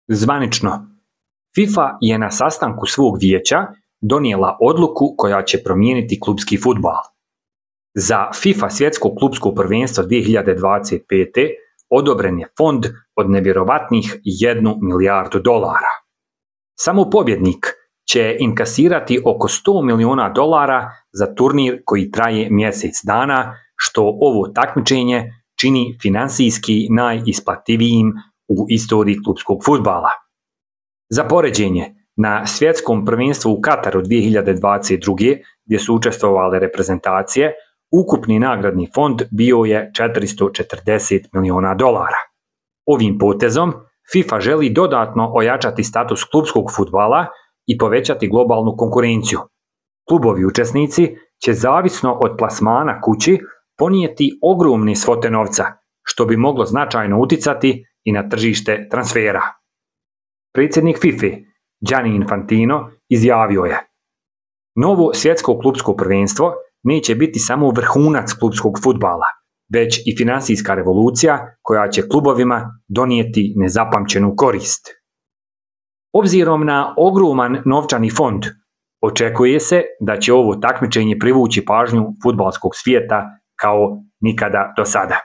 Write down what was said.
Zvanično, FIFA je na sastanku svog vijeća donijela odluku koja će promijeniti klupski fudbal. Za FIFA svjetsko klupsko prvenstvo 2025. odobren je fond od nevjerovatnih $1 milijardu. Samo pobjednik će inkasirati oko $100 milijuna za turnir koji traje mjesec dana, što ovo takmičenje čini finansijski najisplativijim u istoriji klupskog fudbala. Za poređenje, na svjetskom prvenstvu u Kataru 2022. gdje su učestvovale reprezentacije, ukupni nagradni fond bio je $440 milijuna. Ovim potezom FIFA želi dodatno ojačati status klupskog fudbala i povećati globalnu konkurenciju. Klubovi učesnici će zavisno od plasmana kući ponijeti ogromne svote novca, što bi moglo značajno uticati i na tržište transfera. Predsjednik FIFA Gianni Infantino izjavio je: "Novo svjetsko klupsko prvenstvo neće biti samo vrhunac klupskog fudbala, već i financijska revolucija koja će klubovima donijeti nezapamćenu korist." Obzirom na ogroman novčani fond, očekuje se da će ovo takmičenje privući pažnju fudbalskog svijeta kao nikada do sada.